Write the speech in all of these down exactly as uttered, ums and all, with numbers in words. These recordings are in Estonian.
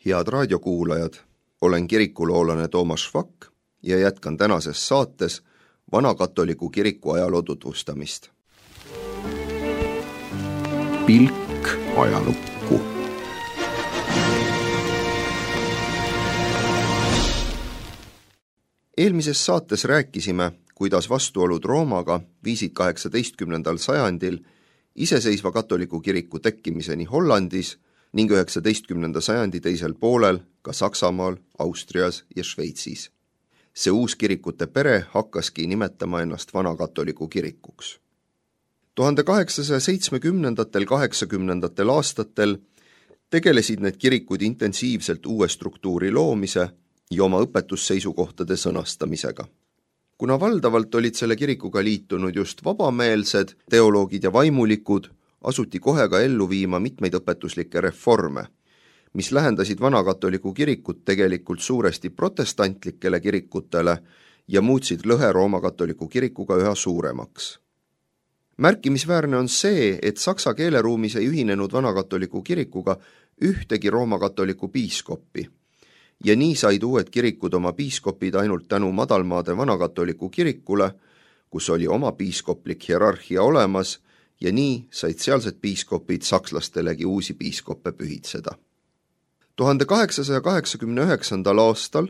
Head raadiokuulajad, olen kirikuloolane Toomas Švak ja jätkan tänases saates Vana-katoliku kiriku ajaloo tutvustamist. Pilk ajalukku. Eelmises saates rääkisime, kuidas vastuolud Roomaga viisid kaheksateistkümnendal sajandil iseseisva katoliku kiriku tekkimiseni Hollandis ning üheksateistkümnenda sajandi teisel poolel ka Saksamaal, Austrias ja Šveitsis. See uus kirikute pere hakkaski nimetama ennast Vana-katoliku kirikuks. tuhande kaheksasaja seitsmekümnendatel kaheksakümnendatel aastatel tegelesid need kirikud intensiivselt uue struktuuri loomise ja oma õpetusseisukohtade sõnastamisega. Kuna valdavalt olid selle kirikuga liitunud just vabameelsed teoloogid ja vaimulikud, asuti kohe ka ellu viima mitmeid õpetuslikke reforme, mis lähendasid Vana-katoliku kirikut tegelikult suuresti protestantlikele kirikutele ja muutsid lõhe Rooma-katoliku kirikuga üha suuremaks. Märkimisväärne on see, et saksa keeleruumis ei ühinenud Vana-katoliku kirikuga ühtegi Rooma-katoliku piiskoppi ja nii said uued kirikud oma piiskopid ainult tänu madalmaade Vana-katoliku kirikule, kus oli oma piiskoplik hierarhia olemas ja nii said sealsed piiskopid sakslastelegi uusi piiskoppe pühitseda. tuhande kaheksasaja kaheksakümne üheksandal aastal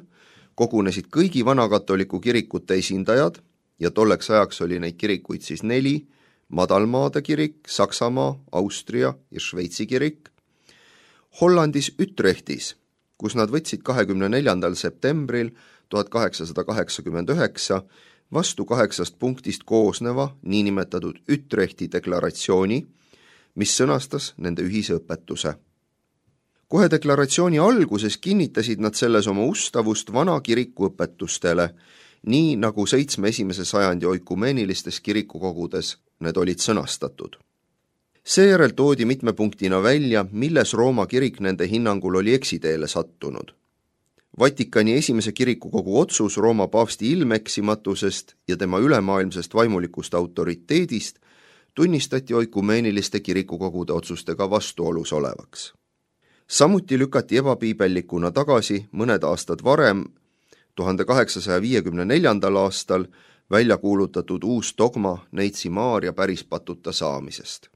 kogunesid kõigi Vana-katoliku kirikute esindajad ja tolleks ajaks oli neid kirikuid siis neli, madalmaade kirik, Saksamaa, Austria ja Šveitsi kirik, Hollandis Utrechtis, kus nad võtsid kahekümne neljandal septembril tuhat kaheksasada kaheksakümmend üheksa vastu kaheksast punktist koosneva niinimetatud Utrechti deklaratsiooni, mis sõnastas nende ühise õpetuse. Kohe deklaratsiooni alguses kinnitasid nad selles oma ustavust vana kiriku õpetustele, nii nagu seitsme esimese sajandi oikumeenilistes kirikukogudes need olid sõnastatud. Seejärel toodi mitme punktina välja, milles Rooma kirik nende hinnangul oli eksiteele sattunud. Vatikani esimese kirikukogu otsus Rooma paavsti ilmeksimatusest ja tema ülemaailmsest vaimulikust autoriteedist tunnistati oikumeeniliste kirikukogude otsustega vastuolus olevaks. Samuti lükati ebapiibellikuna tagasi mõned aastad varem, tuhande kaheksasaja viiekümne neljandal aastal, välja kuulutatud uus dogma Neitsi Maarja pärispatuta saamisest.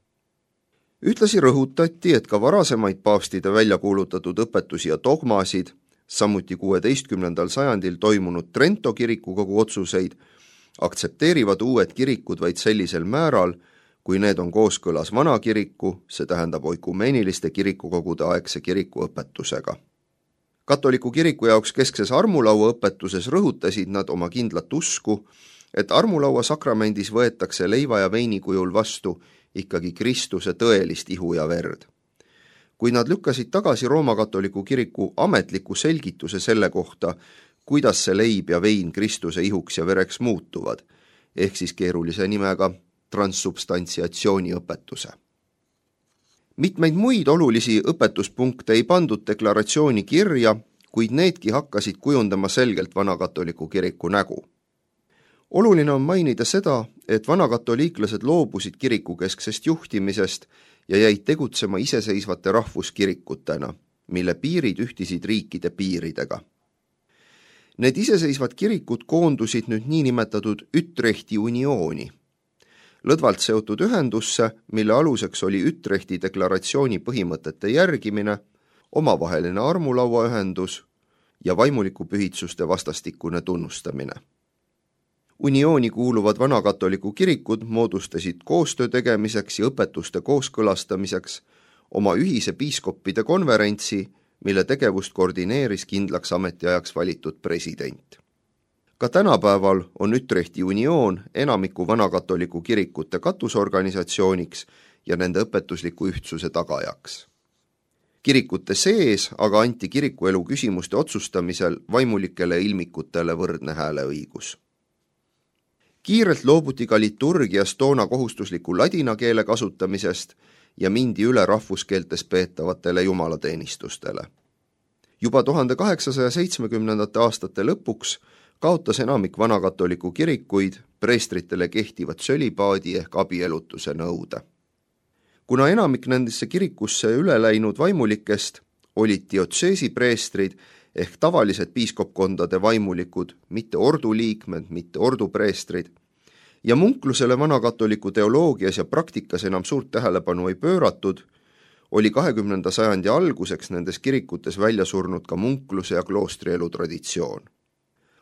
Ühtlasi rõhutati, et ka varasemaid paavstide välja kuulutatud õpetusi ja dogmasid, samuti kuueteistkümnendal sajandil toimunud Trento kirikukogu otsuseid, aktsepteerivad uued kirikud vaid sellisel määral, kui need on kooskõlas vana kiriku, see tähendab oikumeeniliste kirikukogude aegse kiriku õpetusega. Katoliku kiriku jaoks keskses armulaua õpetuses rõhutasid nad oma kindlat usku, et armulaua sakramendis võetakse leiva ja veini kujul vastu ikkagi Kristuse tõelist ihu ja verd. Kui nad lükkasid tagasi Rooma-katoliku kiriku ametliku selgituse selle kohta, kuidas see leib ja vein Kristuse ihuks ja vereks muutuvad, ehk siis keerulise nimega transsubstantsiatsiooni õpetuse. Mitmeid muid olulisi õpetuspunkte ei pandud deklaratsiooni kirja, kuid needki hakkasid kujundama selgelt Vana-katoliku kiriku nägu. Oluline on mainida seda, et vanakatoliiklased loobusid kirikukesksest juhtimisest ja jäid tegutsema iseseisvate rahvuskirikutena, mille piirid ühtisid riikide piiridega. Need iseseisvad kirikud koondusid nüüd niinimetatud Utrechti uniooni, lõdvalt seotud ühendusse, mille aluseks oli Utrechti deklaratsiooni põhimõtete järgimine, omavaheline armulauaühendus ja vaimuliku pühitsuste vastastikune tunnustamine. Uniooni kuuluvad vanakatoliku kirikud moodustasid koostöö tegemiseks ja õpetuste kooskõlastamiseks oma ühise piiskoppide konverentsi, mille tegevust koordineeris kindlaks ametiajaks valitud president. Ka tänapäeval on Utrechti unioon enamiku vanakatoliku kirikute katusorganisatsiooniks ja nende õpetusliku ühtsuse tagajaks. Kirikute sees aga anti kirikuelu küsimuste otsustamisel vaimulikele ilmikutele võrdne hääleõigus. Kiirelt loobuti ka liturgias toona kohustusliku ladina keele kasutamisest ja mindi üle rahvuskeeltes peetavatele jumalateenistustele. Juba tuhande kaheksasaja seitsmekümnendate aastate lõpuks kaotas enamik vanakatoliku kirikuid preestritele kehtivat sölibaadi ehk abielutuse nõude. Kuna enamik nendesse kirikusse üle läinud vaimulikest olid diotseesi preestrid ehk tavalised piiskopkondade vaimulikud, mitte orduliikmed, mitte ordupreestrid, ja munklusele vanakatoliku teoloogias ja praktikas enam suurt tähelepanu ei pööratud, oli kahekümnenda sajandi alguseks nendes kirikutes välja surnud ka munkluse ja kloostrielu traditsioon.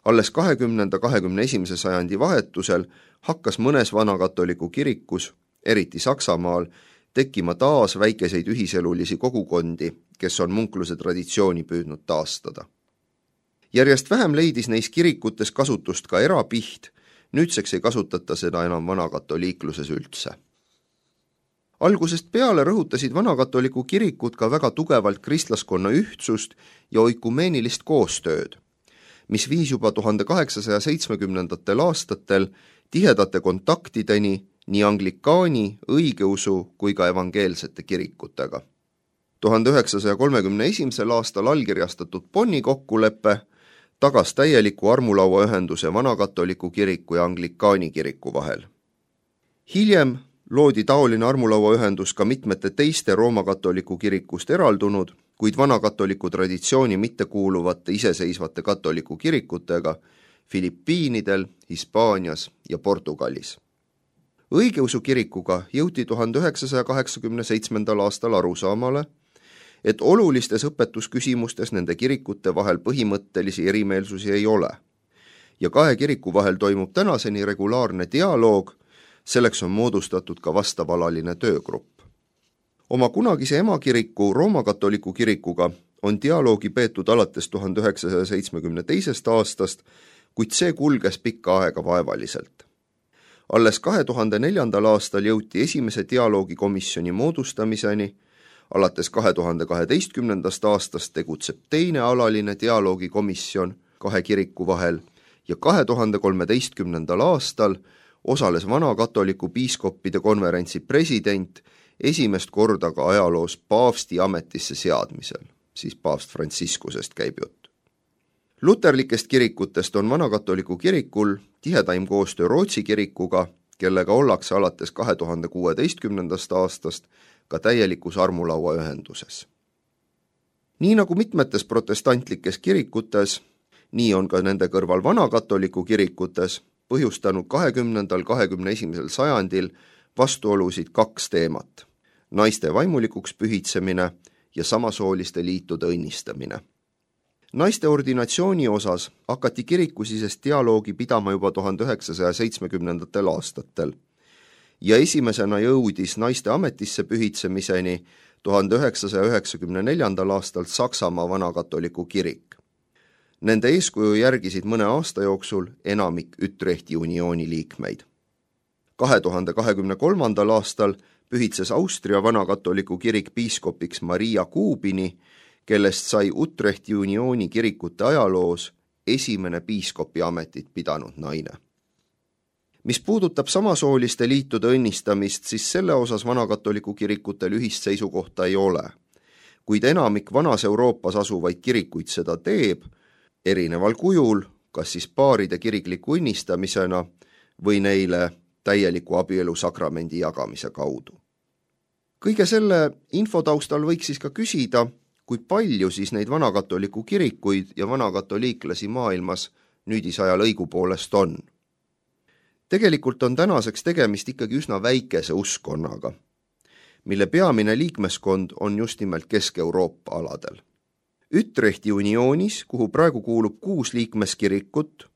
Alles kahekümnenda kahekümne esimese sajandi vahetusel hakkas mõnes vanakatoliku kirikus, eriti Saksamaal, tekkima taas väikeseid ühiselulisi kogukondi, kes on munkluse traditsiooni püüdnud taastada. Järjest vähem leidis neis kirikutes kasutust ka erapiht, nüüdseks ei kasutata seda enam vanakatoliikluses üldse. Algusest peale rõhutasid vanakatoliku kirikud ka väga tugevalt kristlaskonna ühtsust ja oikumeenilist koostööd, mis viis juba tuhande kaheksasaja seitsmekümnendatel aastatel tihedate kontaktideni nii anglikaani, õigeusu kui ka evangeelsete kirikutega. tuhande üheksasaja kolmekümne esimesel aastal allkirjastatud Bonni kokkulepe tagas täieliku armulauaühenduse vanakatoliku kiriku ja anglikaani kiriku vahel. Hiljem loodi taoline armulauaühendus ka mitmete teiste roomakatoliku kirikust eraldunud, kuid vanakatoliku traditsiooni mittekuuluvate iseseisvate katoliku kirikutega Filipiinidel, Hispaanias ja Portugalis. Õigeusu kirikuga jõuti tuhande üheksasaja kaheksakümne seitsmendal aastal arusaamale, et olulistes õpetusküsimustes nende kirikute vahel põhimõttelisi erimeelsusi ei ole. Ja kahe kiriku vahel toimub tänaseni regulaarne dialoog, selleks on moodustatud ka vastavalaline töögrupp. Oma kunagise emakiriku roomakatoliku kirikuga on dialoogi peetud alates tuhande üheksasaja seitsmekümne teisest aastast, kuid see kulges pikka aega vaevaliselt. Alles kahe tuhande neljandal aastal jõuti esimese dialoogikomisjoni moodustamiseni, alates kahe tuhande kaheteistkümnendast aastast tegutseb teine alaline dialoogikomisjon kahe kiriku vahel ja kahe tuhande kolmeteistkümnendal aastal osales vanakatoliku piiskoppide konverentsi president esimest korda ka ajaloos paavsti ametisse seadmisel, siis paavst Franciscusest käib jutt. Luterlikest kirikutest on vanakatoliku kirikul tihedaim koostöö Rootsi kirikuga, kellega ollakse alates kahe tuhande kuueteistkümnendast aastast ka täielikus armulauaühenduses. Nii nagu mitmetes protestantlikes kirikutes, nii on ka nende kõrval vanakatoliku kirikutes põhjustanud kahekümnendal kahekümne esimesel sajandil vastuolusid kaks teemat: naiste vaimulikuks pühitsemine ja samasooliste liitude õnnistamine. Naiste ordinatsiooni osas hakati kirikusisest dialoogi pidama juba tuhande üheksasaja seitsmekümnendatel aastatel ja esimesena jõudis naiste ametisse pühitsemiseni tuhande üheksasaja üheksakümne neljandal aastal Saksamaa vanakatoliku kirik. Nende eeskuju järgisid mõne aasta jooksul enamik Utrechti uniooni liikmeid. kahe tuhande kahekümne kolmandal aastal pühitses Austria vanakatoliku kirik piiskopiks Maria Kuubini, kellest sai Utrechti uniooni kirikute ajaloos esimene piiskopi ametit pidanud naine. Mis puudutab samasooliste liitude õnnistamist, siis selle osas vanakatoliku kirikutel ühist seisukohta ei ole. Kuid enamik vanas Euroopas asuvaid kirikuid seda teeb, erineval kujul, kas siis paaride kirikliku õnnistamisena või neile täieliku abielu sakramendi jagamise kaudu. Kõige selle info taustal võiks siis ka küsida, kui palju siis neid vanakatoliku kirikuid ja vanakatoliiklasi maailmas nüüdisajal õigupoolest on. Tegelikult on tänaseks tegemist ikkagi üsna väikese uskonnaga, mille peamine liikmeskond on just nimelt Kesk-Euroopa aladel. Utrechti unioonis, kuhu praegu kuulub kuus liikmeskirikut,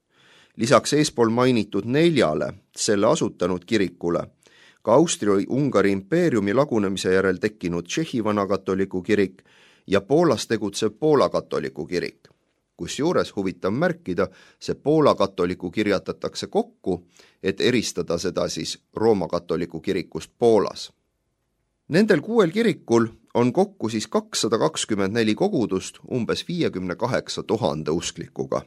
lisaks eespool mainitud neljale selle asutanud kirikule, ka Austria-Ungari impeeriumi lagunemise järel tekkinud Tšehhi vanakatoliku kirik ja Poolas tegutsev Poola katoliku kirik. Kusjuures huvitav märkida, see Poola katoliku kirjatatakse kokku, et eristada seda siis Rooma katoliku kirikust Poolas. Nendel kuuel kirikul on kokku siis kakssada kakskümmend neli kogudust umbes viiekümne kaheksa tuhande usklikuga.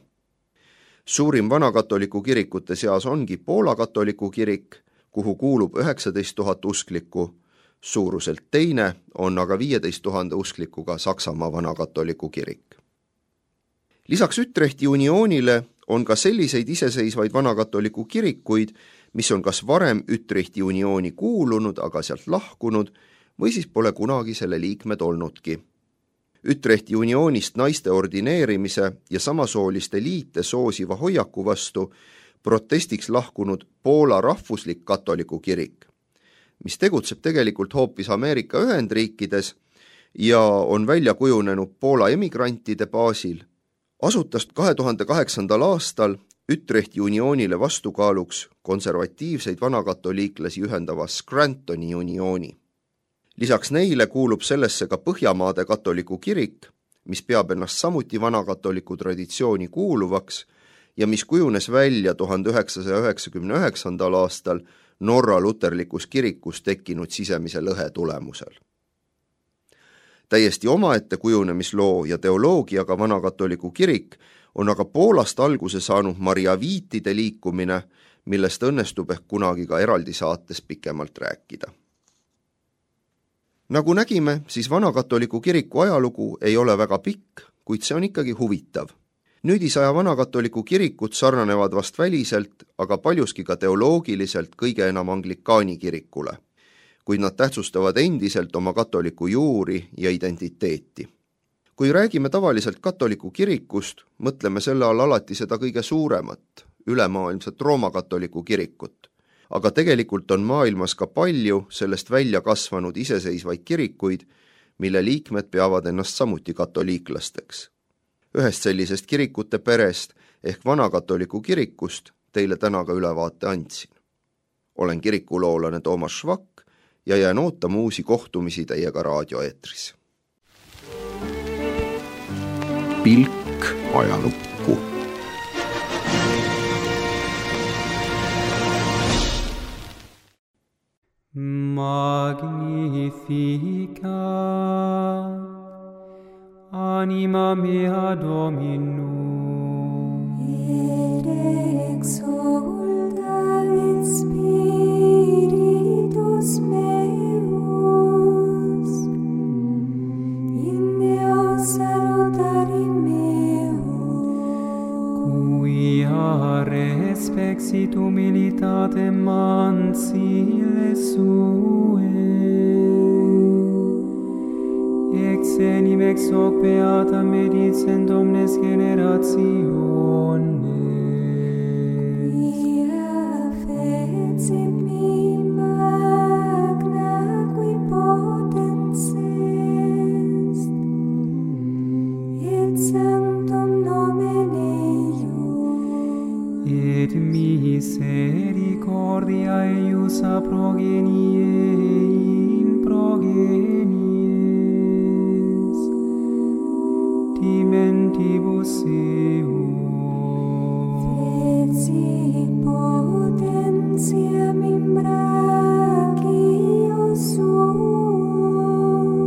Suurim vanakatoliku kirikute seas ongi Poola katoliku kirik, kuhu kuulub üheksateist tuhat usklikku, suuruselt teine on aga viieteist tuhande usklikuga Saksamaa vanakatoliku kirik. Lisaks Utrechti unioonile on ka selliseid iseseisvaid vanakatoliku kirikuid, mis on kas varem Utrechti uniooni kuulunud, aga sealt lahkunud, või siis pole kunagi selle liikmed olnudki. Ütrehti unioonist naiste ordineerimise ja samasooliste liite soosiva hoiaku vastu protestiks lahkunud Poola rahvuslik katoliku kirik, mis tegutseb tegelikult hoopis Ameerika Ühendriikides ja on välja kujunenud Poola emigrantide baasil, asutas kahe tuhande kaheksandal aastal Ütrehti unioonile vastukaaluks konservatiivseid vanakatoliiklasi ühendava Scrantoni uniooni. Lisaks neile kuulub sellesse ka Põhjamaade katoliku kirik, mis peab ennast samuti vanakatoliku traditsiooni kuuluvaks ja mis kujunes välja tuhande üheksasaja üheksakümne üheksandal aastal Norra luterlikus kirikus tekkinud sisemise lõhe tulemusel. Täiesti omaette kujunemisloo ja teoloogiaga vanakatoliku kirik on aga Poolast alguse saanud mariaviitide liikumine, millest õnnestub ehk kunagi ka eraldi saates pikemalt rääkida. Nagu nägime, siis vanakatoliku kiriku ajalugu ei ole väga pikk, kuid see on ikkagi huvitav. Nüüdisaja vanakatoliku kirikut sarnanevad vast väliselt, aga paljuski ka teoloogiliselt kõige enam anglikaani kirikule, kuid nad tähtsustavad endiselt oma katoliku juuri ja identiteeti. Kui räägime tavaliselt katoliku kirikust, mõtleme selle all alati seda kõige suuremat, ülemaailmset Rooma katoliku kirikut. Aga tegelikult on maailmas ka palju sellest välja kasvanud iseseisvaid kirikuid, mille liikmed peavad ennast samuti katoliiklasteks. Ühest sellisest kirikute perest ehk vanakatoliku kirikust teile täna ka ülevaate andsin. Olen kirikuloolane Toomas Švak ja jään ootama uusi kohtumisi teiega raadioeetris. Pilk ajalukku. Magnificat anima mea Dominum, et exulta et spiritus meus in Deo salutari meo, quia respexit humilitatem mansile sue, ex enim ex hoc beata medicent omnes generationes. quia fecit mi magna qui potens est, et sanctum nomen eius, Et misericordia eius a progenie in progenies, dimentibus eum. fecit potentiam in brachio suum,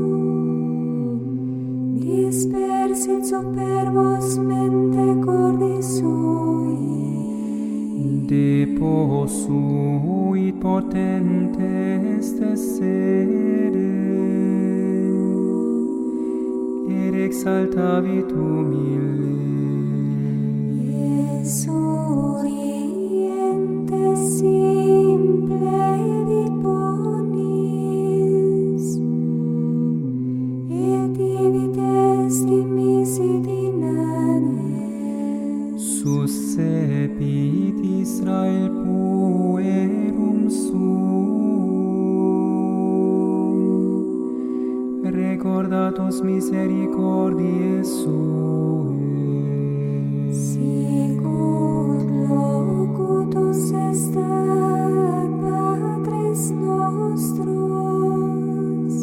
dispersit superbos mente cordis sui, Deposuit potentes tessere, et exaltavit humile. Surientes simple vit bonis, et divit est dimisit inanes. Suscepit Israel puerum suum, recordatus misericordiae suae. Sicut locutus estat Patres nostros,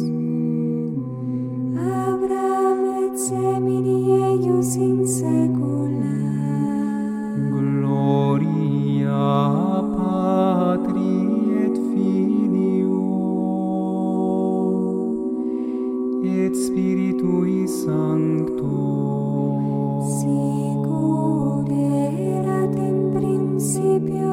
Abraham et semini eius in saecula. Gloria Patri et Filio et Spiritui Sancto, Sicut erat in principio